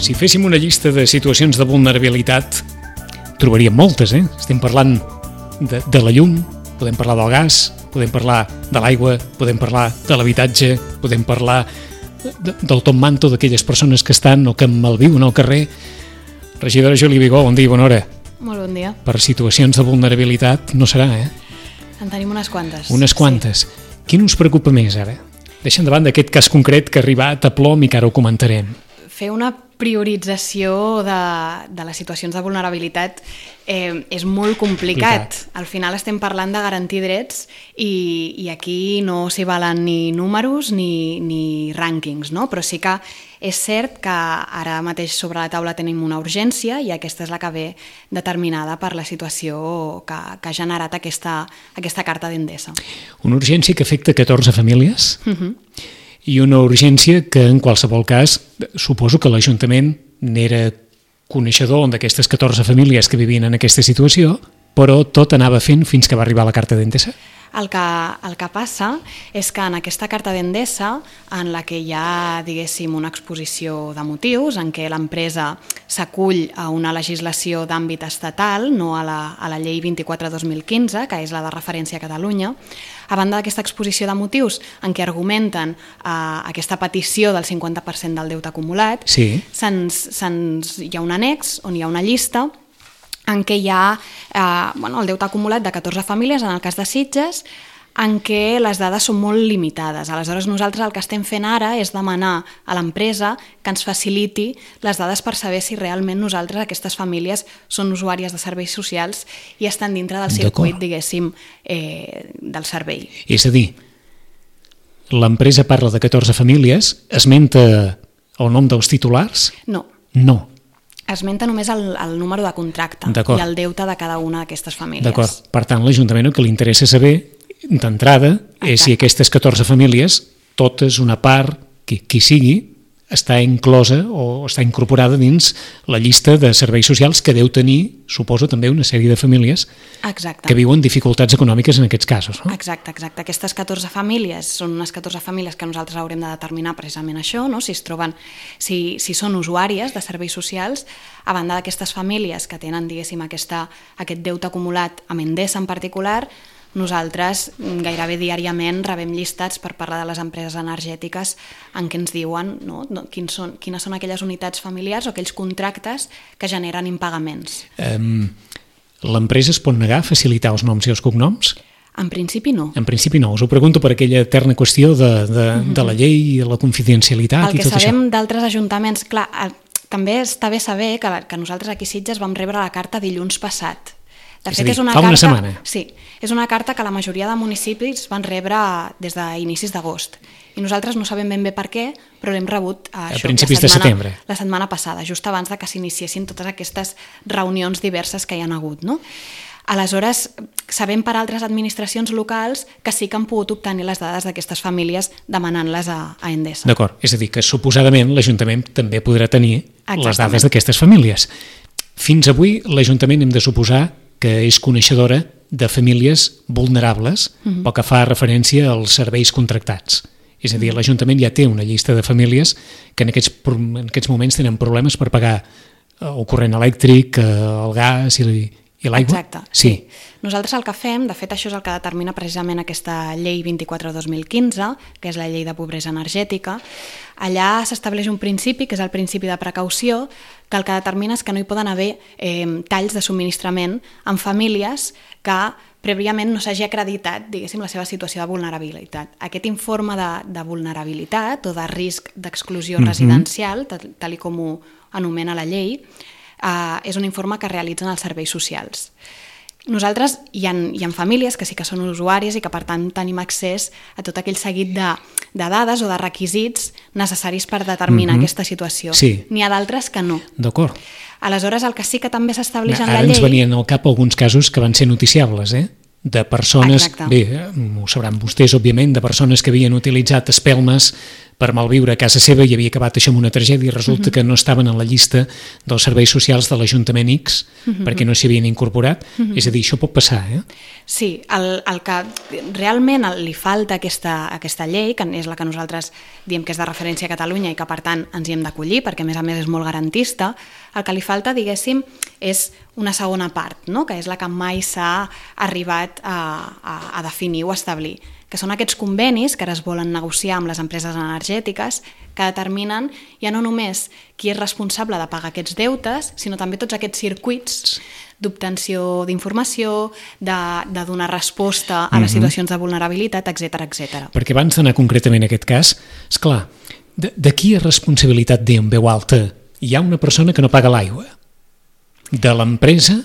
Si féssim una llista de situacions de vulnerabilitat, trobaríem moltes, eh? Estem parlant de la llum, podem parlar del gas, podem parlar de l'aigua, podem parlar de l'habitatge, podem parlar del top manto d'aquelles persones que estan o que malviuen al carrer. Regidora Júlia Vigó, bon dia i bona hora. Molt bon dia. Per situacions de vulnerabilitat no serà, eh? En tenim unes quantes. Unes quantes. Sí. Quin us preocupa més, ara? Deixant de banda aquest cas concret que ha arribat a plom i que ara ho comentarem. Fer una priorització de les situacions de vulnerabilitat és molt complicat. Al final estem parlant de garantir drets i aquí no s'hi valen ni números ni rànquings, no? Però sí que és cert que ara mateix sobre la taula tenim una urgència i aquesta és la que ve determinada per la situació que ha generat aquesta carta d'Endesa. Una urgència que afecta 14 famílies? I una urgència que, en qualsevol cas, suposo que l'Ajuntament n'era coneixedor d'aquestes 14 famílies que vivien en aquesta situació, però tot anava fent fins que va arribar la carta d'Endesa? El que passa és que en aquesta carta d'Endesa, en la que hi ha, diguéssim, una exposició de motius, en què l'empresa s'acull a una legislació d'àmbit estatal, no a la llei 24/2015, que és la de referència a Catalunya, a banda d'aquesta exposició de motius en què argumenten aquesta petició del 50% del deute acumulat, sí. Hi ha un annex on hi ha una llista en què hi ha el deute acumulat de 14 famílies, en el cas de Sitges, en què les dades són molt limitades. Aleshores, nosaltres el que estem fent ara és demanar a l'empresa que ens faciliti les dades per saber si realment nosaltres, aquestes famílies, són usuàries de serveis socials i estan dintre del circuit, diguéssim, del servei. És a dir, l'empresa parla de 14 famílies, esmenta el nom dels titulars? No. No. Esmenta només el número de contracte i el deute de cada una d'aquestes famílies. D'acord. Per tant, l'Ajuntament el que li interessa saber, d'entrada, és si aquestes 14 famílies, totes, una part, qui sigui, està inclosa o està incorporada dins la llista de serveis socials que deu tenir, suposo, també una sèrie de famílies que viuen dificultats econòmiques en aquests casos. No? Exacte. Aquestes 14 famílies són unes 14 famílies que nosaltres haurem de determinar precisament això, no? Si si són usuàries de serveis socials, a banda d'aquestes famílies que tenen, diguéssim, aquest deute acumulat amb Endesa en particular. Nosaltres gairebé diàriament rebem llistats per parlar de les empreses energètiques en què ens diuen quines són aquelles unitats familiars o aquells contractes que generen impagaments. L'empresa es pot negar a facilitar els noms i els cognoms? En principi no. En principi no. Us ho pregunto per aquella eterna qüestió de la llei i la confidencialitat i tot això. El que sabem d'altres ajuntaments, clar, també està bé saber que nosaltres aquí a Sitges vam rebre la carta dilluns passat. De fet, és una fa una setmana. Sí, és una carta que la majoria de municipis van rebre des d'inicis d'agost. I nosaltres no sabem ben bé per què, però l'hem rebut a principis de setembre. La setmana passada, just abans de que s'iniciessin totes aquestes reunions diverses que hi han hagut, no? Aleshores, sabem per altres administracions locals que sí que han pogut obtenir les dades d'aquestes famílies demanant-les a Endesa. D'acord, és a dir, que suposadament l'Ajuntament també podrà tenir les dades d'aquestes famílies. Fins avui l'Ajuntament hem de suposar que és coneixedora de famílies vulnerables pel que fa referència als serveis contractats. És a dir, l'Ajuntament ja té una llista de famílies que en aquests moments tenen problemes per pagar el corrent elèctric, el gas i l'aigua. Exacte. Sí. Nosaltres el que fem, de fet això és el que determina precisament aquesta llei 24/2015, que és la llei de pobresa energètica. Allà s'estableix un principi, que és el principi de precaució, que el que determina és que no hi poden haver talls de subministrament en famílies que prèviament no s'hagi acreditat, diguéssim, la seva situació de vulnerabilitat. Aquest informe de vulnerabilitat o de risc d'exclusió residencial, tal com ho anomena la llei, és un informe que realitzen els serveis socials. Nosaltres hi ha famílies que sí que són usuàries i que per tant tenim accés a tot aquell seguit de dades o de requisits necessaris per determinar aquesta situació. Sí. N'hi ha d'altres que no. D'acord. Aleshores, el que sí que també s'estableix en la llei... Ara ens venien al cap alguns casos que van ser noticiables, de persones... Exacte. Bé, ho sabran vostès, òbviament, de persones que havien utilitzat espelmes per malviure a casa seva i havia acabat això amb una tragèdia i resulta que no estaven en la llista dels serveis socials de l'Ajuntament X perquè no s'hi havien incorporat. És a dir, això pot passar, Sí, el que realment li falta a aquesta llei, que és la que nosaltres diem que és de referència a Catalunya i que per tant ens hi hem d'acollir perquè a més és molt garantista, el que li falta, diguéssim, és una segona part, no? Que és la que mai s'ha arribat a definir o a establir, que són aquests convenis que ara es volen negociar amb les empreses energètiques que determinen ja no només qui és responsable de pagar aquests deutes, sinó també tots aquests circuits d'obtenció d'informació, de donar resposta a les situacions de vulnerabilitat, etc etc. Perquè abans d'anar concretament a aquest cas, esclar, de qui és responsabilitat dir en veu alta hi ha una persona que no paga l'aigua? De l'empresa?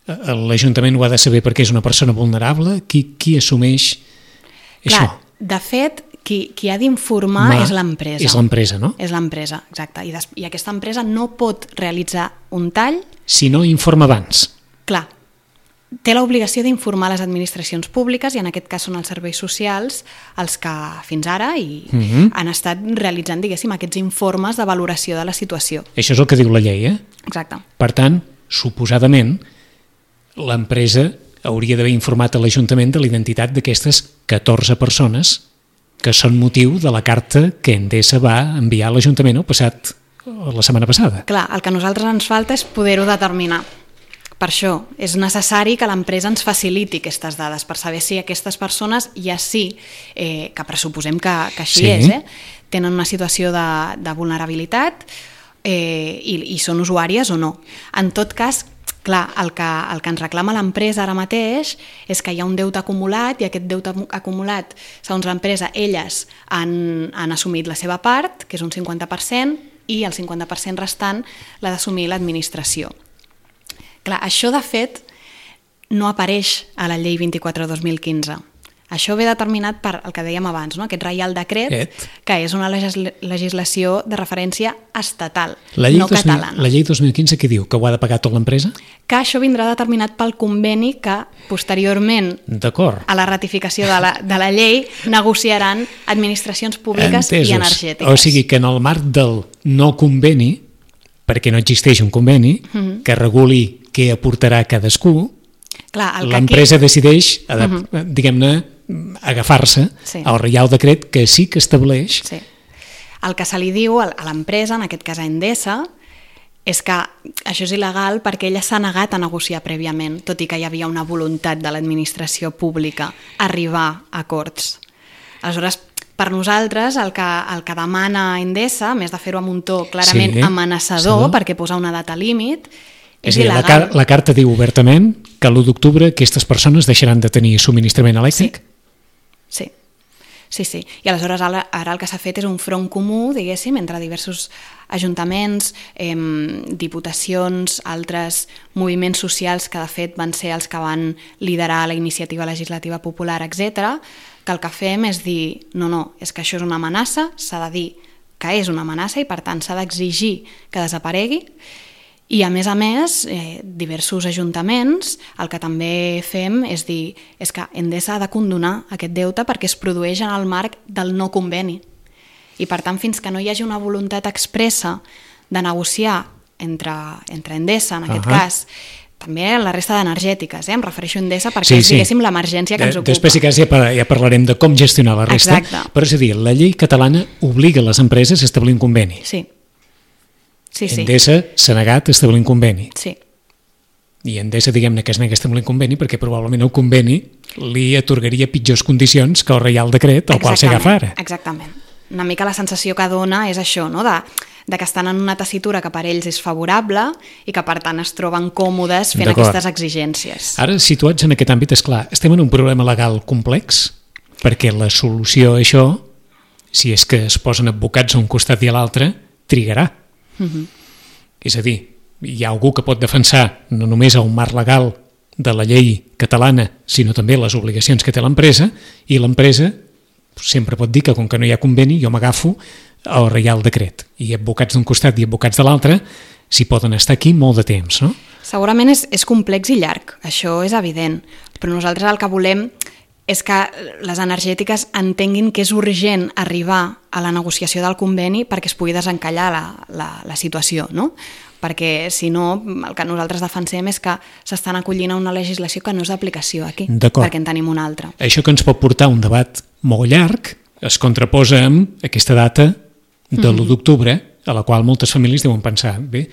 L'Ajuntament ho ha de saber perquè és una persona vulnerable? Qui assumeix això? Clar, de fet, qui ha d'informar és l'empresa. És l'empresa, no? És l'empresa, exacte. I aquesta empresa no pot realitzar un tall si no informa abans. Clar, té l'obligació d'informar les administracions públiques i en aquest cas són els serveis socials els que fins ara han estat realitzant, diguéssim, aquests informes de valoració de la situació. Això és el que diu la llei, Exacte. Per tant, suposadament, l'empresa hauria d'haver informat a l'Ajuntament de la identitat d'aquestes 14 persones que són motiu de la carta que Endesa va enviar a l'Ajuntament la setmana passada. Clar, el que a nosaltres ens falta és poder-ho determinar. Per això és necessari que l'empresa ens faciliti aquestes dades per saber si aquestes persones ja que pressuposem que així és, tenen una situació de vulnerabilitat i són usuàries o no. En tot cas, clar, el que ens reclama l'empresa ara mateix és que hi ha un deute acumulat i aquest deute acumulat, segons l'empresa, elles han assumit la seva part, que és un 50%, i el 50% restant l'ha d'assumir l'administració. Clar, això de fet no apareix a la llei 24/2015. Això ve determinat per el que dèiem abans, no? Aquest Reial Decret, que és una legislació de referència estatal, no catalana. La llei 2015 què diu? Que ho ha de pagar tota l'empresa? Que això vindrà determinat pel conveni que posteriorment a la ratificació de la llei negociaran administracions públiques i energètiques. O sigui que en el marc del no conveni, perquè no existeix un conveni que reguli què aportarà cadascú, l'empresa decideix, diguem-ne, agafar-se al Reial Decret que sí que estableix. Sí. El que se li diu a l'empresa, en aquest cas a Endesa, és que això és il·legal perquè ella s'ha negat a negociar prèviament, tot i que hi havia una voluntat de l'administració pública arribar a acords. Aleshores, per nosaltres, el que demana Endesa, a més de fer-ho amb un to clarament amenaçador, perquè posa una data límit, és il·legal. La carta diu obertament que l'1 d'octubre aquestes persones deixaran de tenir subministrament elèctric? Sí. I aleshores ara el que s'ha fet és un front comú, diguéssim, entre diversos ajuntaments, diputacions, altres moviments socials que de fet van ser els que van liderar la iniciativa legislativa popular, etc., que el que fem és dir, no, és que això és una amenaça, s'ha de dir que és una amenaça i per tant s'ha d'exigir que desaparegui. I a més, diversos ajuntaments el que també fem és dir és que Endesa ha de condonar aquest deute perquè es produeix en el marc del no conveni. I per tant, fins que no hi hagi una voluntat expressa de negociar entre Endesa, en aquest cas, també la resta d'energètiques, em refereixo a Endesa perquè és, diguéssim, l'emergència que ens ocupa. Després ja parlarem de com gestionar la resta. Exacte. Però és a dir, la llei catalana obliga les empreses a establir un conveni. Sí. Endesa s'ha negat a establir un conveni. Sí. I Endesa, diguem-ne, que es nega a establir un conveni perquè probablement el conveni li atorgaria pitjors condicions que el Reial Decret al qual s'agafa ara. Exactament. Una mica la sensació que dona és això, no? De que estan en una tessitura que per ells és favorable i que per tant es troben còmodes fent aquestes exigències. Ara, situats en aquest àmbit, és clar, estem en un problema legal complex perquè la solució a això, si és que es posen advocats a un costat i a l'altre, trigarà. És a dir, hi ha algú que pot defensar no només el marc legal de la llei catalana, sinó també les obligacions que té l'empresa, i l'empresa sempre pot dir que com que no hi ha conveni jo m'agafo al Reial Decret, i advocats d'un costat i advocats de l'altre s'hi poden estar aquí molt de temps, no? Segurament és complex i llarg, això és evident, però nosaltres el que volem és que les energètiques entenguin que és urgent arribar a la negociació del conveni perquè es pugui desencallar la situació, no? Perquè si no, el que nosaltres defensem és que s'estan acollint a una legislació que no és d'aplicació aquí, perquè en tenim una altra. Això que ens pot portar un debat molt llarg es contraposa amb aquesta data de l'1 d'octubre, a la qual moltes famílies deuen pensar, bé,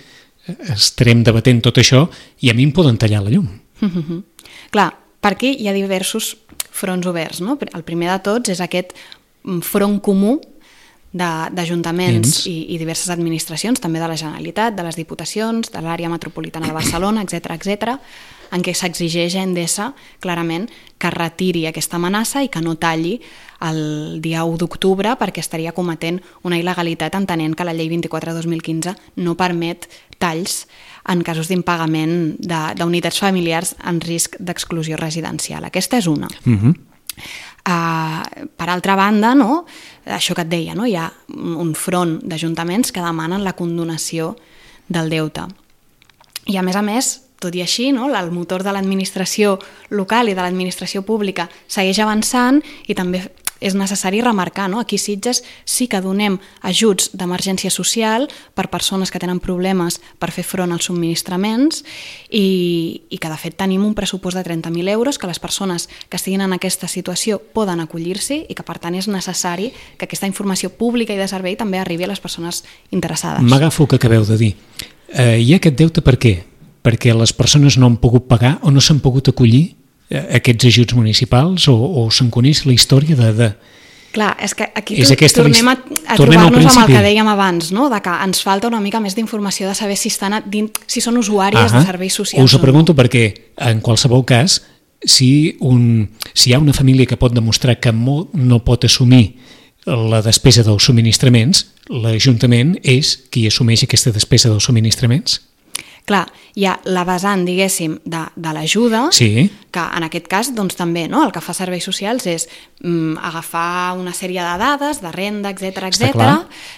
estarem debatent tot això i a mi em poden tallar la llum. Clar, per aquí hi ha diversos fronts oberts, no? El primer de tots és aquest front comú d'ajuntaments i diverses administracions, també de la Generalitat, de les Diputacions, de l'àrea metropolitana de Barcelona, etc., en què s'exigeix a Endesa clarament que retiri aquesta amenaça i que no talli el dia 1 d'octubre perquè estaria cometent una il·legalitat entenent que la llei 24/2015 no permet talls en casos d'impagament d'unitats familiars en risc d'exclusió residencial. Aquesta és una. Per altra banda, no? Això que et deia, no? Hi ha un front d'ajuntaments que demanen la condonació del deute. I a més, tot i així, no? El motor de l'administració local i de l'administració pública segueix avançant i també és necessari remarcar, no? Aquí a Sitges sí que donem ajuts d'emergència social per persones que tenen problemes per fer front als subministraments i que de fet tenim un pressupost de 30.000 euros que les persones que estiguin en aquesta situació poden acollir-s'hi i que per tant és necessari que aquesta informació pública i de servei també arribi a les persones interessades. M'agafo el que acabeu de dir. Hi ha aquest deute per què? Perquè les persones no han pogut pagar o no s'han pogut acollir aquests ajuts municipals o se'n coneix la història de... Clar, és que aquí tornem a trobar-nos amb el que dèiem abans, no? De que ens falta una mica més d'informació de saber si són usuàries de serveis socials. Us ho pregunto perquè, en qualsevol cas, si hi ha una família que pot demostrar que no pot assumir la despesa dels subministraments, l'Ajuntament és qui assumeix aquesta despesa dels subministraments? Clar, hi ha la vessant, diguéssim, de l'ajuda, que en aquest cas doncs, també el que fa serveis socials és agafar una sèrie de dades, de renda, etc.,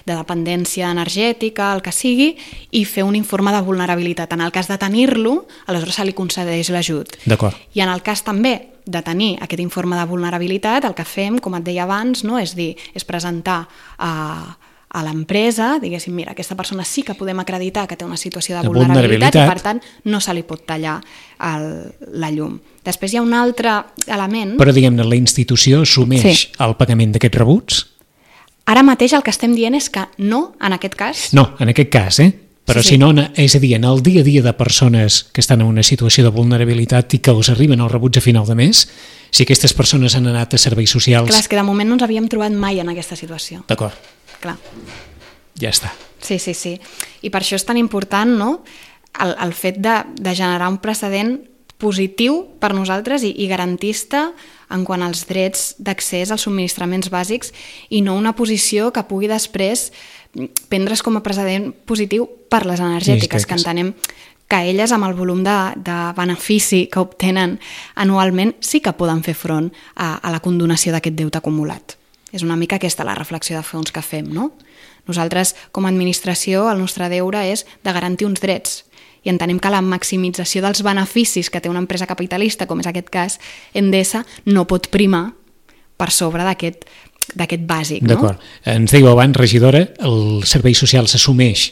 de dependència energètica, el que sigui, i fer un informe de vulnerabilitat. En el cas de tenir-lo, aleshores se li concedeix l'ajut. D'acord. I en el cas també de tenir aquest informe de vulnerabilitat, el que fem, com et deia abans, no? És presentar a l'empresa, diguéssim, mira, aquesta persona sí que podem acreditar que té una situació de vulnerabilitat i per tant no se li pot tallar la llum. Després hi ha un altre element... Però diguem-ne, la institució assumeix el pagament d'aquests rebuts? Ara mateix el que estem dient és que no, en aquest cas... No, en aquest cas, però si no, és a dir, en el dia a dia de persones que estan en una situació de vulnerabilitat i que els arriben els rebuts a final de mes, si aquestes persones han anat a serveis socials... Clar, és que de moment no ens havíem trobat mai en aquesta situació. D'acord. Clar. Ja està. Sí. I per això és tan important, no?, el fet de generar un precedent positiu per nosaltres i garantista en quant als drets d'accés als subministraments bàsics i no una posició que pugui després prendre's com a precedent positiu per les energètiques, que entenem que elles amb el volum de benefici que obtenen anualment sí que poden fer front a la condonació d'aquest deute acumulat. És una mica aquesta la reflexió de fons que fem, no? Nosaltres, com a administració, el nostre deure és de garantir uns drets i entenem que la maximització dels beneficis que té una empresa capitalista, com és aquest cas, Endesa, no pot primar per sobre d'aquest bàsic. D'acord. Ens dèieu abans, regidora, el servei social s'assumeix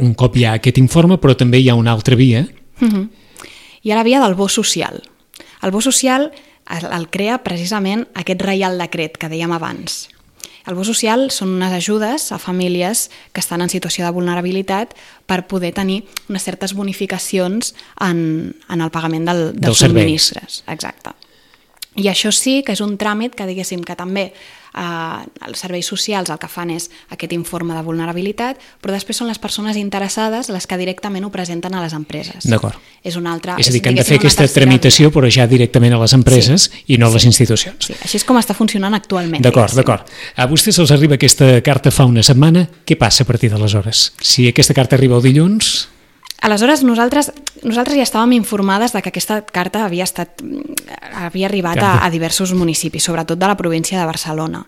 un cop hi ha aquest informe, però també hi ha una altra via. Hi ha la via del bo social. El bo social el crea precisament aquest Reial Decret que dèiem abans. El bo social són unes ajudes a famílies que estan en situació de vulnerabilitat per poder tenir unes certes bonificacions en el pagament dels subministres. Exacte. I això sí que és un tràmit que diguéssim que també els serveis socials el que fan és aquest informe de vulnerabilitat, però després són les persones interessades les que directament ho presenten a les empreses. D'acord. És una altra... És a dir, que han de fer aquesta tramitació però ja directament a les empreses i no a les institucions. Sí, així és com està funcionant actualment. D'acord. A vostès els arriba aquesta carta fa una setmana, què passa a partir d'aleshores? Si aquesta carta arriba el dilluns... Aleshores, nosaltres ja estàvem informades de que aquesta carta havia arribat a diversos municipis, sobretot de la província de Barcelona.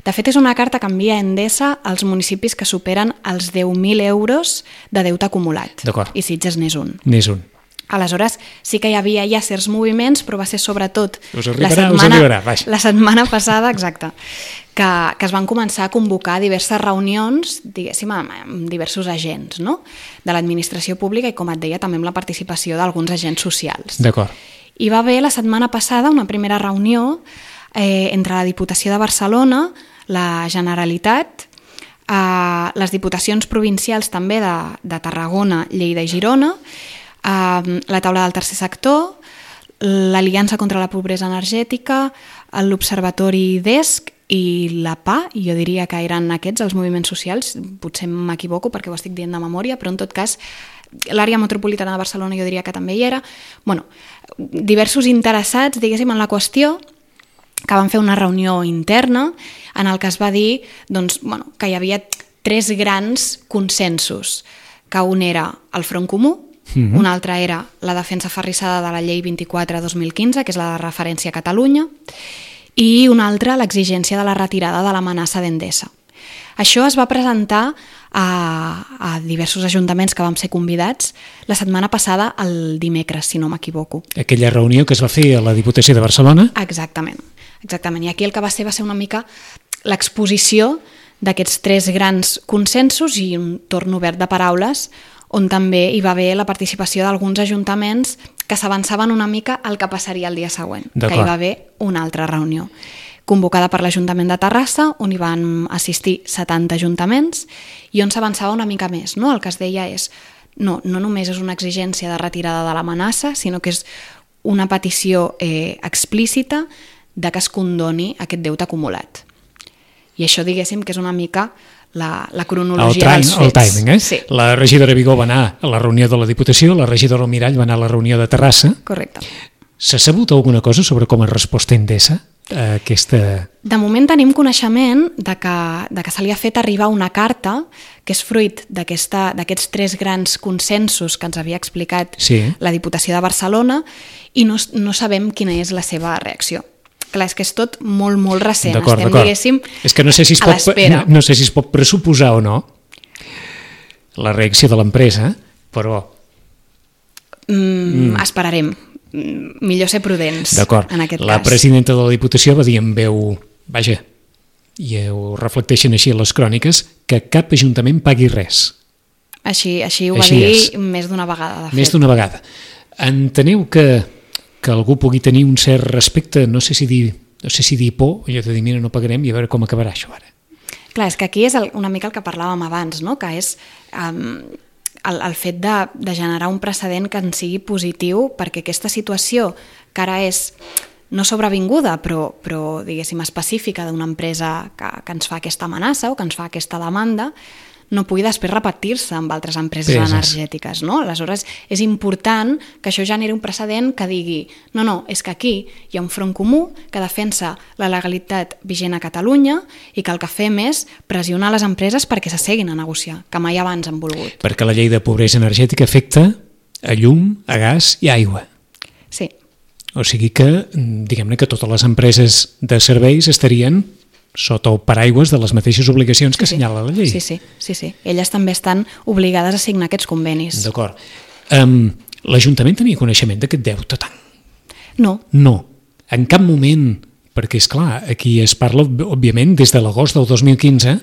De fet, és una carta que envia Endesa als municipis que superen els 10.000 euros de deute acumulat. D'acord. I Sitges n'és un. N'és un. Aleshores, sí que hi havia ja certs moviments, però va ser sobretot us arribarà, la setmana passada, exacte, que es van començar a convocar diverses reunions, diguéssim, amb diversos agents, no?, de l'administració pública i, com et deia, també amb la participació d'alguns agents socials. D'acord. Hi va haver la setmana passada una primera reunió entre la Diputació de Barcelona, la Generalitat, les diputacions provincials també de Tarragona, Lleida i Girona, la taula del tercer sector, l'Aliança contra la Pobresa Energètica, l'Observatori DESC i la PA, i jo diria que eren aquests els moviments socials, potser m'equivoco perquè ho estic dient de memòria, però en tot cas l'àrea metropolitana de Barcelona jo diria que també hi era. Bueno, diversos interessats, diguéssim, en la qüestió, que van fer una reunió interna en el que es va dir doncs, bueno, que hi havia 3 grans consensos, que un era el Front Comú, un altre era la defensa aferrissada de la llei 24/2015, que és la de referència a Catalunya, i un altre l'exigència de la retirada de l'amenaça d'Endesa. Això es va presentar a diversos ajuntaments que vam ser convidats la setmana passada, el dimecres, si no m'equivoco. Aquella reunió que es va fer a la Diputació de Barcelona? Exactament. I aquí el que va ser una mica l'exposició d'aquests 3 grans consensos i un torn obert de paraules on també hi va haver la participació d'alguns ajuntaments que s'avançaven una mica al que passaria el dia següent, que hi va haver una altra reunió convocada per l'Ajuntament de Terrassa, on hi van assistir 70 ajuntaments i on s'avançava una mica més. No? El que es deia és, no només és una exigència de retirada de l'amenaça, sinó que és una petició explícita de que es condoni aquest deute acumulat. I això, diguéssim, que és una mica la cronologia dels fets. El timing, eh? Sí. La regidora Vigó va anar a la reunió de la Diputació, la regidora Almirall va anar a la reunió de Terrassa. Correcte. S'ha sabut alguna cosa sobre com ha respost Endesa a aquesta... De moment tenim coneixement de que se li ha fet arribar una carta que és fruit d'aquests 3 grans consensos que ens havia explicat la Diputació de Barcelona i no sabem quina és la seva reacció. Clar, és que és tot molt, molt recent. Estem, diguéssim, és que no sé si a l'espera. No sé si es pot pressuposar o no la reacció de l'empresa, però... Esperarem. Millor ser prudents en aquest cas. La presidenta de la Diputació va dir en veu, vaja, i ho reflecteixen així a les cròniques, que cap ajuntament pagui res. Així ho va dir més d'una vegada, de fet. Més d'una vegada. Enteneu que algú pugui tenir un cert respecte, no sé si dir por, jo t'he dit, mira, no pagarem i a veure com acabarà això ara. Clar, és que aquí és una mica el que parlàvem abans, no? Que és el fet de generar un precedent que en sigui positiu perquè aquesta situació que ara és no sobrevinguda, però diguéssim, específica d'una empresa que ens fa aquesta amenaça o que ens fa aquesta demanda, no pugui després repetir-se amb altres empreses energètiques, no? Aleshores, és important que això generi un precedent que digui no, és que aquí hi ha un front comú que defensa la legalitat vigent a Catalunya i que el que fem és pressionar les empreses perquè s'asseguin a negociar, que mai abans han volgut. Perquè la llei de pobresa energètica afecta a llum, a gas i a aigua. Sí. O sigui que, diguem-ne que totes les empreses de serveis estarien sota el paraigües de les mateixes obligacions que assenyala la llei. Sí. Elles també estan obligades a signar aquests convenis. D'acord. L'Ajuntament tenia coneixement d'aquest deute tant? No. No. En cap moment, perquè és clar, aquí es parla, òbviament, des de l'agost del 2015,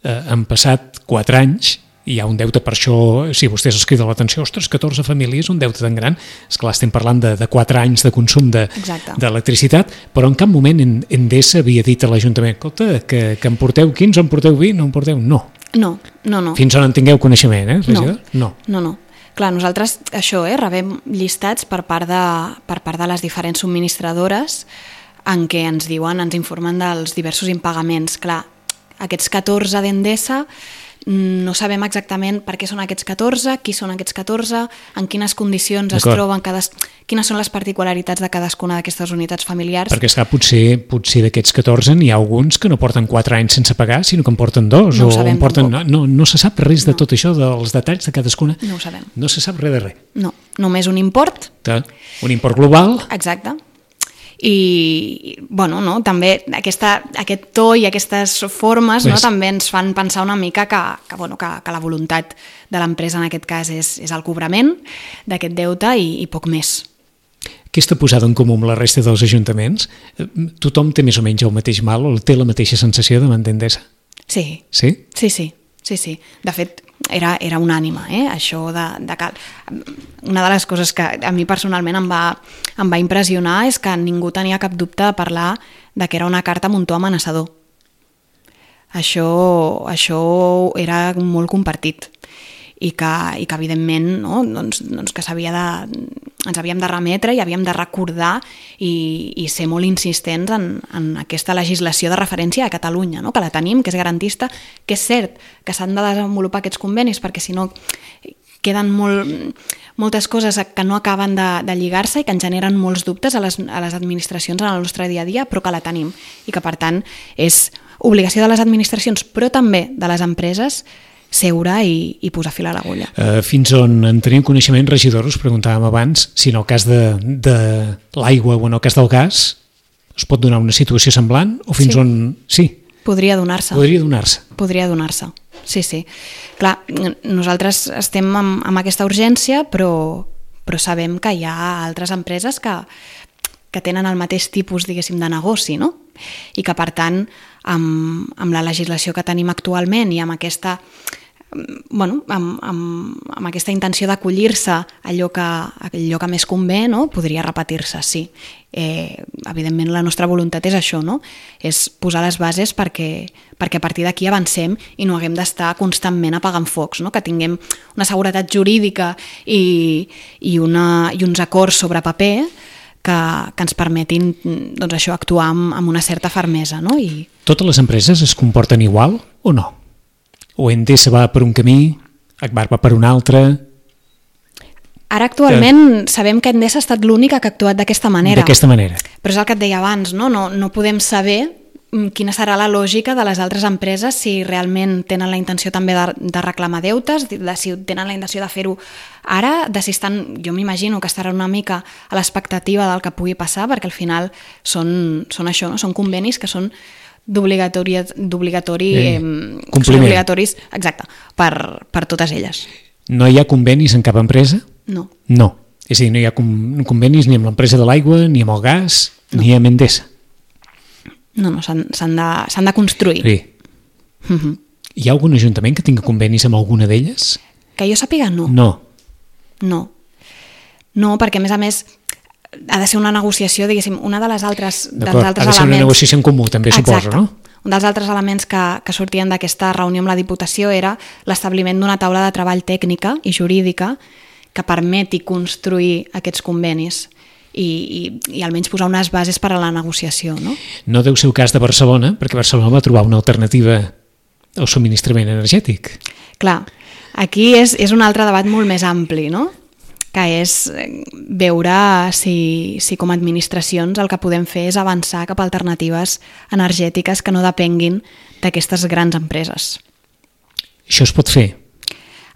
han passat 4 anys, i hi ha un deute, per això, si vostès es criden l'atenció, ostres, 14 famílies, un deute tan gran, esclar, estem parlant de 4 anys de consum d'electricitat, però en cap moment Endesa havia dit a l'Ajuntament, escolta, que en porteu 15, en porteu 20, no en porteu... No. Fins on en tingueu coneixement, regidor? No. Clar, nosaltres això, rebem llistats per part de les diferents subministradores en què ens diuen, ens informen dels diversos impagaments. Clar, aquests 14 d'Endesa no sabem exactament per què són aquests 14, qui són aquests 14, en quines condicions es troben, quines són les particularitats de cadascuna d'aquestes unitats familiars. Perquè esclar, potser d'aquests 14 n'hi ha alguns que no porten 4 anys sense pagar, sinó que en porten 2. No ho sabem tampoc. No se sap res de tot això, dels detalls de cadascuna. No ho sabem. No se sap res de res. No, només un import. Un import global. Exacte. i bueno, no? També aquest to i aquestes formes no? També ens fan pensar una mica que la voluntat de l'empresa en aquest cas és el cobrament d'aquest deute i poc més. Aquesta posada en comú amb la resta dels ajuntaments, tothom té més o menys el mateix mal o té la mateixa sensació davant d'Endesa? Sí. Sí? Sí. De fet, era unànime, això de que... Una de les coses que a mi personalment em va impressionar és que ningú tenia cap dubte de parlar de que era una carta amb un to amenaçador. Això era molt compartit i que evidentment no? doncs que ens havíem de remetre i havíem de recordar i ser molt insistents en aquesta legislació de referència a Catalunya, no? Que la tenim, que és garantista, que és cert que s'han de desenvolupar aquests convenis perquè si no queden moltes coses que no acaben de lligar-se i que ens generen molts dubtes a les administracions en el nostre dia a dia, però que la tenim i que per tant és obligació de les administracions però també de les empreses seure i posar fil a l'agulla. Fins on en tenim coneixement, regidor, us preguntàvem abans, si en el cas de l'aigua o en el cas del gas es pot donar una situació semblant o fins on... Sí. Podria donar-se. Podria donar-se, sí. Clar, nosaltres estem amb aquesta urgència, però sabem que hi ha altres empreses que tenen el mateix tipus, diguéssim, de negoci, no? I que, per tant, amb la legislació que tenim actualment i amb aquesta amb aquesta intenció d'acollir-se allò que més convé, no? Podria repetir-se, sí. Evidentment la nostra voluntat és això, no? És posar les bases perquè a partir d'aquí avancem i no haguem d'estar constantment apagant focs, no? Que tinguem una seguretat jurídica i uns acords sobre paper que ens permetin doncs això, actuar amb una certa fermesa. No? Totes les empreses es comporten igual o no? O Endesa va per un camí, Agbar va per un altre? Ara actualment sabem que Endesa ha estat l'única que ha actuat d'aquesta manera. D'aquesta manera. Però és el que et deia abans, no podem saber quina serà la lògica de les altres empreses, si realment tenen la intenció també de reclamar deutes, si tenen la intenció de fer-ho ara, si estan, jo m'imagino que estaran una mica a l'expectativa del que pugui passar, perquè al final són això, no? Són convenis que són obligatoris, exacte, per totes elles. No hi ha convenis en cap empresa? No. És a dir, no hi ha convenis ni amb l'empresa de l'aigua, ni amb el gas, ni amb Endesa. No, s'han de construir. Sí. Hi ha algun ajuntament que tingui convenis amb alguna d'elles? Que jo sàpiga, no. No, perquè a més ha de ser una negociació, diguéssim, una de les altres elements... Ha de ser una negociació en comú, també. Exacte. Suposo, no? Un dels altres elements que sortien d'aquesta reunió amb la Diputació era l'establiment d'una taula de treball tècnica i jurídica que permeti construir aquests convenis i almenys posar unes bases per a la negociació. No deu ser el cas de Barcelona, perquè Barcelona va trobar una alternativa al subministrament energètic. Clar, aquí és un altre debat molt més ampli, no? Que és veure si com a administracions el que podem fer és avançar cap a alternatives energètiques que no depenguin d'aquestes grans empreses. Això es pot fer?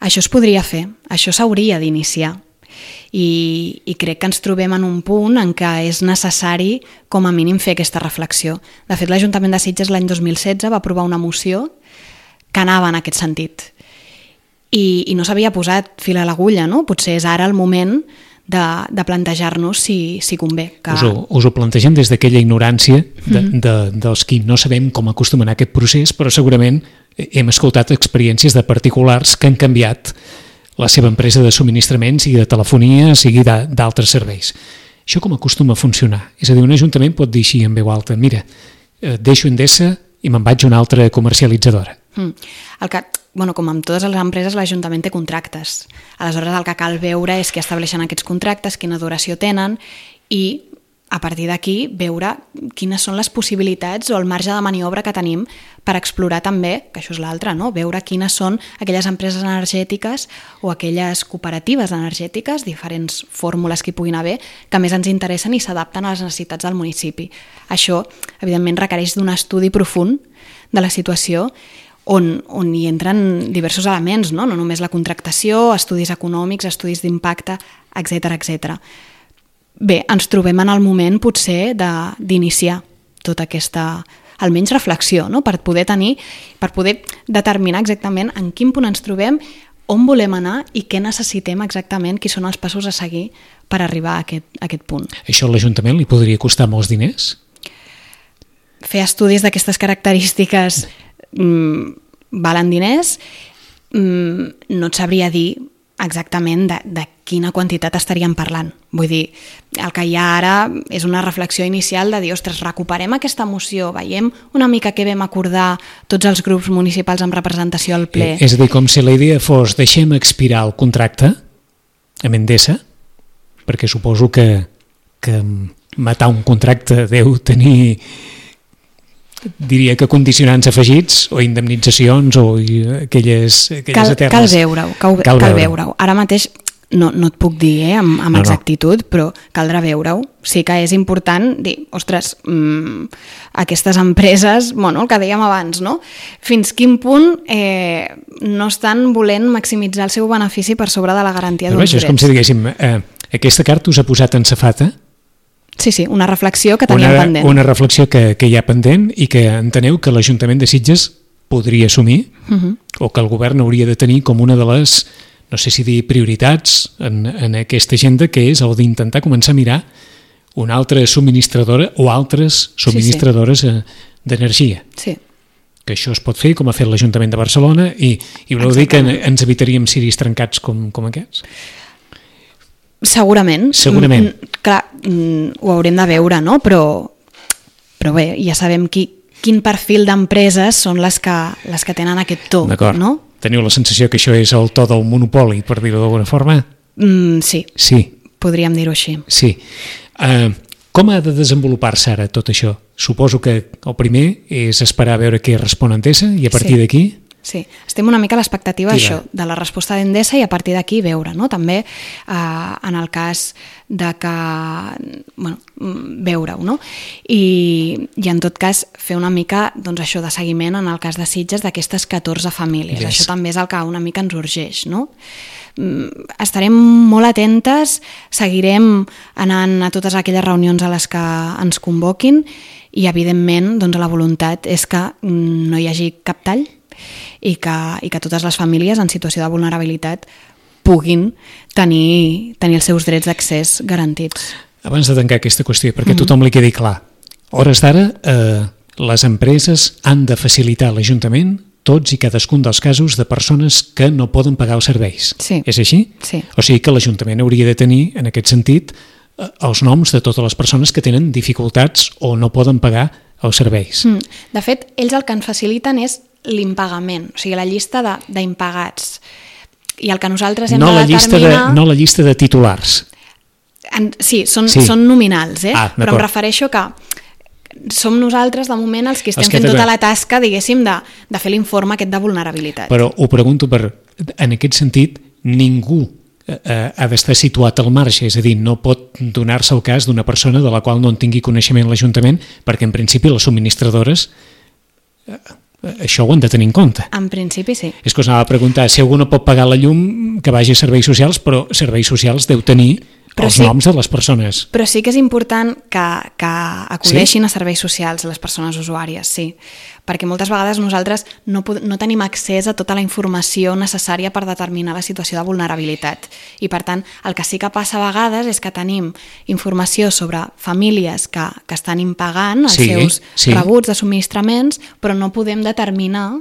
Això es podria fer, això s'hauria d'iniciar. I crec que ens trobem en un punt en què és necessari com a mínim fer aquesta reflexió. De fet, l'Ajuntament de Sitges l'any 2016 va aprovar una moció que anava en aquest sentit i no s'havia posat fil a l'agulla, no? Potser és ara el moment de plantejar-nos si convé. Us ho plantegem des d'aquella ignorància dels qui no sabem com acostumen a aquest procés, però segurament hem escoltat experiències de particulars que han canviat la seva empresa de subministraments, sigui de telefonia, sigui d'altres serveis. Això com acostuma a funcionar? És a dir, un ajuntament pot dir així en veu alta, mira, deixo Endesa i me'n vaig a una altra comercialitzadora. Com amb totes les empreses, l'Ajuntament té contractes. Aleshores, el que cal veure és què estableixen aquests contractes, quina duració tenen i a partir d'aquí veure quines són les possibilitats o el marge de maniobra que tenim per explorar també, que això és l'altre, no? Veure quines són aquelles empreses energètiques o aquelles cooperatives energètiques, diferents fórmules que hi puguin haver, que més ens interessen i s'adapten a les necessitats del municipi. Això, evidentment, requereix d'un estudi profund de la situació on hi entren diversos elements, no només la contractació, estudis econòmics, estudis d'impacte, etc. bé, ens trobem en el moment potser d'iniciar tota aquesta, almenys reflexió, no? per poder determinar exactament en quin punt ens trobem, on volem anar i què necessitem exactament, quins són els passos a seguir per arribar a aquest punt. Això a l'Ajuntament li podria costar molts diners? Fer estudis d'aquestes característiques valen diners, no et sabria dir exactament de quina quantitat estaríem parlant. Vull dir, el que hi ha ara és una reflexió inicial de dir, ostres, recuperem aquesta moció, veiem una mica què vam acordar tots els grups municipals amb representació al ple. És a dir, com si la idea fos deixem expirar el contracte amb Endesa, perquè suposo que matar un contracte deu tenir, diria que condicionants afegits o indemnitzacions o aquelles eternes. Cal veure-ho. Ara mateix no et puc dir amb exactitud, però caldrà veure-ho. Sí que és important dir, ostres, aquestes empreses, el que dèiem abans, no? Fins quin punt no estan volent maximitzar el seu benefici per sobre de la garantia d'uns drets. És com si diguéssim, aquesta carta us ha posat en safata. Sí, una reflexió que teníem pendent. Una reflexió que hi ha pendent i que enteneu que l'Ajuntament de Sitges podria assumir o que el govern hauria de tenir com una de les, no sé si dir prioritats en aquesta agenda, que és el d'intentar començar a mirar una altra subministradora o altres subministradores d'energia. Sí. Que això es pot fer com ha fet l'Ajuntament de Barcelona i voleu dir que ens evitaríem ciris trencats com aquests? Segurament. Clar, ho haurem de veure, no? Però bé, ja sabem quin perfil d'empreses són les que tenen aquest to. D'acord. No? Teniu la sensació que això és el to del monopoli, per dir-ho d'alguna forma? Sí. Podríem dir-ho així. Sí. Com ha de desenvolupar-se ara tot això? Suposo que el primer és esperar a veure què respon Endesa i a partir d'aquí... Sí, estem una mica a l'expectativa de la resposta d'Endesa i a partir d'aquí veure, no? També en el cas de que veure-ho, no? I en tot cas fer una mica això de seguiment en el cas de Sitges d'aquestes 14 famílies. Yes. Això també és el que una mica ens urgeix, no? Estarem molt atentes, seguirem anant a totes aquelles reunions a les que ens convoquin i evidentment la voluntat és que no hi hagi cap tall i que totes les famílies en situació de vulnerabilitat puguin tenir els seus drets d'accés garantits. Abans de tancar aquesta qüestió, perquè tothom li quedi clar, hores d'ara les empreses han de facilitar a l'Ajuntament tots i cadascun dels casos de persones que no poden pagar els serveis. Sí. És així? Sí. O sigui que l'Ajuntament hauria de tenir, en aquest sentit, els noms de totes les persones que tenen dificultats o no poden pagar els serveis. De fet, ells el que ens faciliten és l'impagament, o sigui, la llista d'impagats. I el que nosaltres hem de determinar... No la llista de titulars. Sí, són nominals, però em refereixo que som nosaltres, de moment, els que estem fent tota la tasca, diguéssim, de fer l'informe aquest de vulnerabilitat. Però ho pregunto en aquest sentit, ningú ha d'estar situat al marge, és a dir, no pot donar-se el cas d'una persona de la qual no en tingui coneixement l'Ajuntament, perquè en principi les subministradores això ho han de tenir en compte. En principi sí. És que us anava a preguntar, si algú no pot pagar la llum, que vagi a Serveis Socials, però Serveis Socials deu tenir els noms de les persones. Però sí que és important que acudeixin a serveis socials les persones usuàries, sí. Perquè moltes vegades nosaltres no tenim accés a tota la informació necessària per determinar la situació de vulnerabilitat. I per tant, el que sí que passa a vegades és que tenim informació sobre famílies que estan impagant els seus rebuts de subministraments, però no podem determinar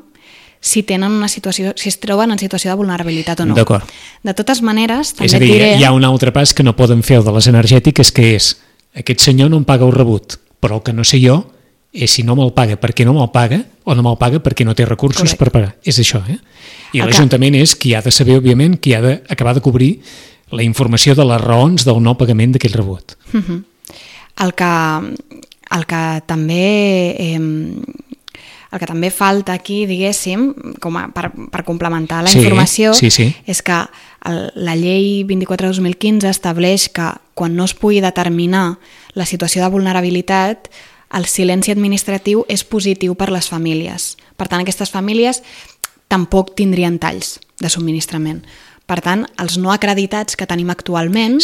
si es troben en situació de vulnerabilitat o no. D'acord. De totes maneres, també és a dir, hi ha un altre pas que no poden fer el de les energètiques, que és, aquest senyor no em paga el rebut, però el que no sé jo és si no me'l paga perquè no me'l paga o no me'l paga perquè no té recursos per pagar. És això, I l'Ajuntament és qui ha de saber, òbviament, qui ha d'acabar de cobrir la informació de les raons del no pagament d'aquell rebut. El que també falta aquí, diguéssim, per complementar la informació, és que la llei 24/2015 estableix que quan no es pugui determinar la situació de vulnerabilitat, el silenci administratiu és positiu per les famílies. Per tant, aquestes famílies tampoc tindrien talls de subministrament. Per tant, els no acreditats que tenim actualment,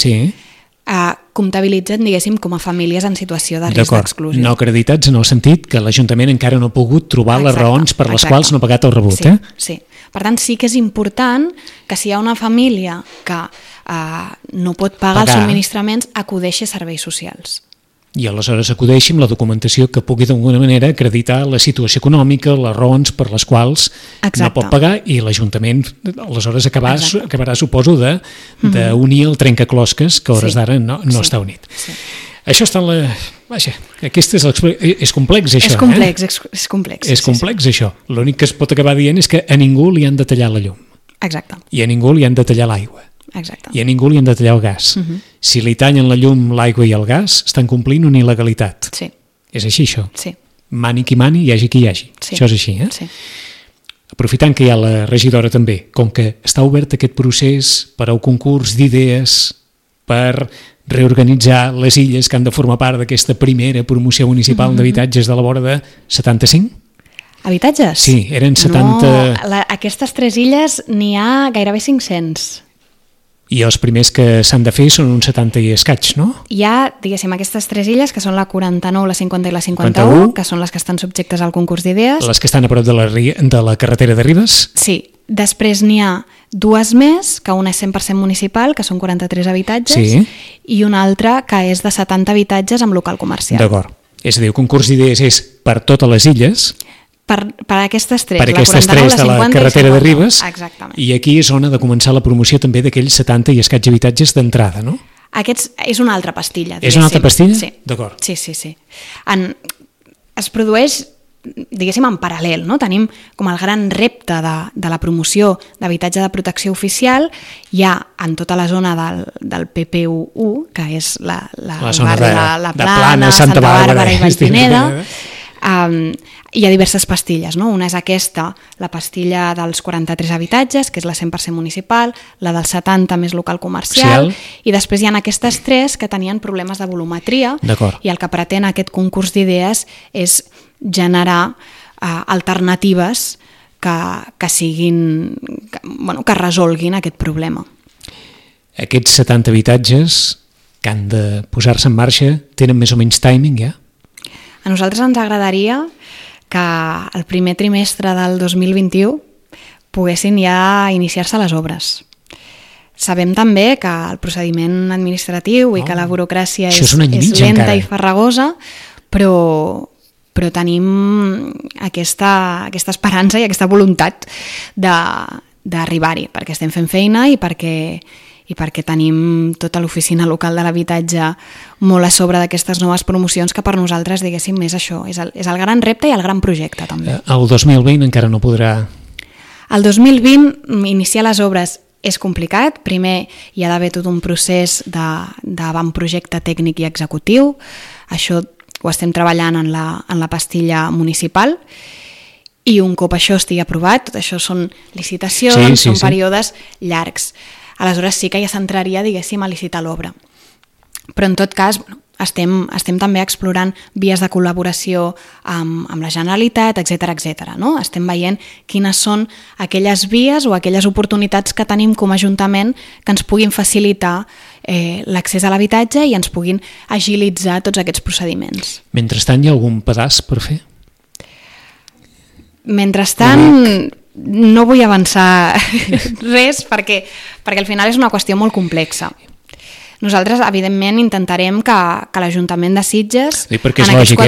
comptabilitzen, diguéssim, com a famílies en situació de risc d'exclusió. No acreditats en el sentit que l'Ajuntament encara no ha pogut trobar les raons per les quals no ha pagat el rebut. Sí. Per tant, sí que és important que si hi ha una família que no pot pagar els subministraments, acudeixi a serveis socials. I aleshores acudeixi amb la documentació que pugui d'alguna manera acreditar la situació econòmica, les raons per les quals no pot pagar, i l'Ajuntament aleshores acabarà, suposo, d'unir el trencaclosques que a hores d'ara no està unit. Això està en la... Vaja, és complex, això. És complex. És complex, això. L'únic que es pot acabar dient és que a ningú li han de tallar la llum. Exacte. I a ningú li han de tallar l'aigua. Exacte. I a ningú li han de tallar el gas. Si li tallen la llum, l'aigua i el gas, estan complint una il·legalitat. Sí. És així, això? Sí. Mani qui mani, hi hagi qui hi hagi. Sí. Això és així, Sí. Aprofitant que hi ha la regidora també, com que està obert aquest procés per al concurs d'idees, per reorganitzar les illes que han de formar part d'aquesta primera promoció municipal d'habitatges de la vora de 75? Habitatges? Sí, eren 70... No, aquestes 3 illes n'hi ha gairebé 500. I els primers que s'han de fer són uns 70 i escaig, no? Hi ha, diguéssim, aquestes 3 illes, que són la 49, la 50 i la 51, que són les que estan subjectes al concurs d'idees. Les que estan a prop de la carretera de Ribes? Sí. Després n'hi ha 2 més, que una és 100% municipal, que són 43 habitatges, i una altra que és de 70 habitatges amb local comercial. D'acord. És a dir, el concurs d'idees és per totes les illes... Per aquestes 3, per aquestes 3 de la carretera de Ribes, exactament. I aquí és on ha de començar la promoció també d'aquells 70 i escaig habitatges d'entrada, no? Aquests és una altra pastilla. És una altra pastilla? Sí. D'acord. Sí. Es produeix, diguéssim, en paral·lel, no? Tenim com el gran repte de la promoció d'habitatge de protecció oficial, ja en tota la zona del PP1, que és la zona de la Plana, Santa Bàrbara i Vallpineda. Hi ha diverses pastilles, no? Una és aquesta, la pastilla dels 43 habitatges, que és la 100% municipal, la dels 70 més local comercial, i després hi ha aquestes 3 que tenien problemes de volumetria, i el que pretén aquest concurs d'idees és generar alternatives que siguin, que resolguin aquest problema. Aquests 70 habitatges que han de posar-se en marxa tenen més o menys timing, ja? A nosaltres ens agradaria que el primer trimestre del 2021 poguessin ja iniciar-se les obres. Sabem també que el procediment administratiu i que la burocràcia és lenta i farragosa, però tenim aquesta esperança i aquesta voluntat d'arribar-hi, perquè estem fent feina i perquè tenim tota l'oficina local de l'habitatge molt a sobre d'aquestes noves promocions, que per nosaltres, diguéssim, és això, és el gran repte i el gran projecte, també. El 2020 encara no podrà... El 2020, iniciar les obres és complicat. Primer hi ha d'haver tot un procés d'avantprojecte tècnic i executiu. Això ho estem treballant en la pastilla municipal, i un cop això estigui aprovat, tot això són licitacions, són períodes llargs. Aleshores sí que ja s'entraria, diguéssim, a licitar l'obra. Però en tot cas, estem també explorant vies de col·laboració amb la Generalitat, etc. No? Estem veient quines són aquelles vies o aquelles oportunitats que tenim com a Ajuntament que ens puguin facilitar l'accés a l'habitatge i ens puguin agilitzar tots aquests procediments. Mentrestant, hi ha algun pedaç per fer? Mentrestant... No vull avançar res perquè al final és una qüestió molt complexa. Nosaltres, evidentment, intentarem que l'Ajuntament de Sitges... Perquè és lògic,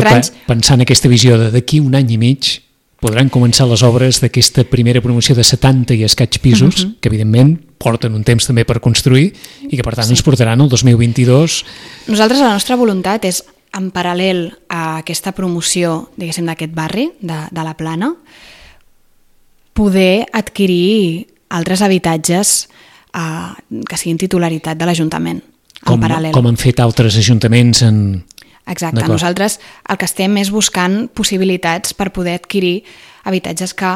pensar en aquesta visió de d'aquí un any i mig podran començar les obres d'aquesta primera promoció de 70 i escaig pisos, que evidentment porten un temps també per construir i que per tant ens portaran el 2022... Nosaltres, la nostra voluntat és, en paral·lel a aquesta promoció, diguéssim, d'aquest barri, de la Plana, poder adquirir altres habitatges que siguin titularitat de l'Ajuntament, en paral·lel. Com han fet altres ajuntaments en... Exacte, nosaltres el que estem és buscant possibilitats per poder adquirir habitatges que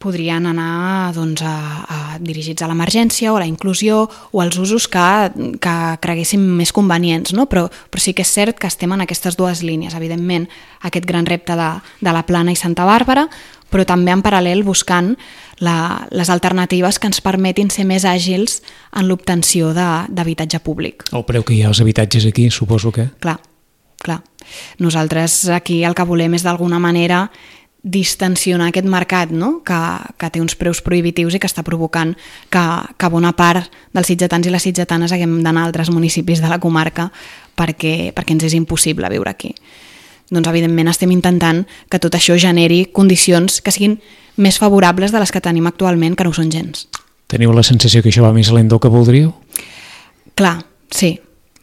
podrien anar a dirigits a l'emergència o a la inclusió o als usos que creguéssim més convenients, no? Però sí que és cert que estem en aquestes dues línies. Evidentment, aquest gran repte de la Plana i Santa Bàrbara, però també en paral·lel buscant les alternatives que ens permetin ser més àgils en l'obtenció d'habitatge públic. El preu que hi ha als habitatges aquí, suposo que... Clar. Nosaltres aquí el que volem és d'alguna manera distensionar aquest mercat, no? que té uns preus prohibitius i que està provocant que bona part dels sitgetans i les sitgetanes haguem d'anar a altres municipis de la comarca perquè ens és impossible viure aquí. Doncs evidentment estem intentant que tot això generi condicions que siguin més favorables de les que tenim actualment, que no ho són gens. Teniu la sensació que això va més lent del que voldríeu? Clar, sí.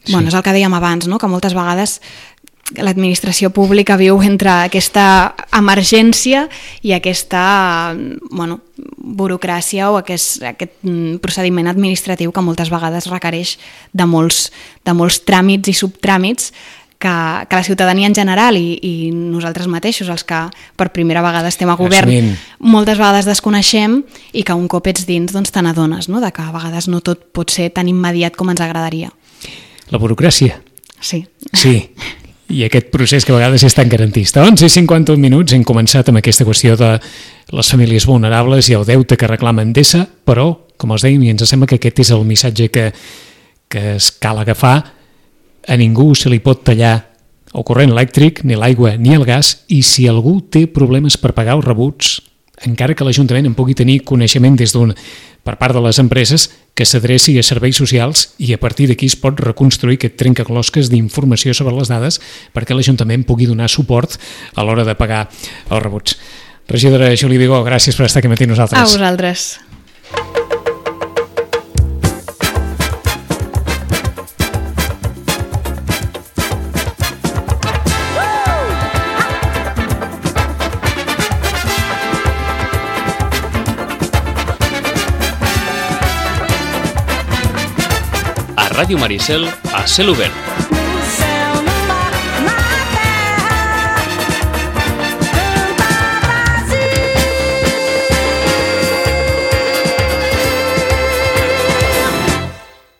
Bueno, és el que dèiem abans, no? Que moltes vegades l'administració pública viu entre aquesta emergència i aquesta burocràcia o aquest procediment administratiu que moltes vegades requereix de molts tràmits i subtràmits que la ciutadania en general i nosaltres mateixos, els que per primera vegada estem a govern, moltes vegades desconeixem i que un cop ets dins doncs te n'adones, no? De que a vegades no tot pot ser tan immediat com ens agradaria. La burocràcia. Sí. I aquest procés que a vegades és tan garantista. 11:51 minuts, hem començat amb aquesta qüestió de les famílies vulnerables i el deute que reclama Endesa, però, com els dèiem, i ens sembla que aquest és el missatge que es cal agafar, a ningú se li pot tallar el corrent elèctric, ni l'aigua ni el gas, i si algú té problemes per pagar els rebuts, encara que l'Ajuntament en pugui tenir coneixement per part de les empreses, que s'adreci a serveis socials i a partir d'aquí es pot reconstruir aquest trencaclosques d'informació sobre les dades perquè l'Ajuntament pugui donar suport a l'hora de pagar els rebuts. Regidora Júlia Vigó, gràcies per estar aquí matí nosaltres. A vosaltres. Ràdio Maricel a cel obert.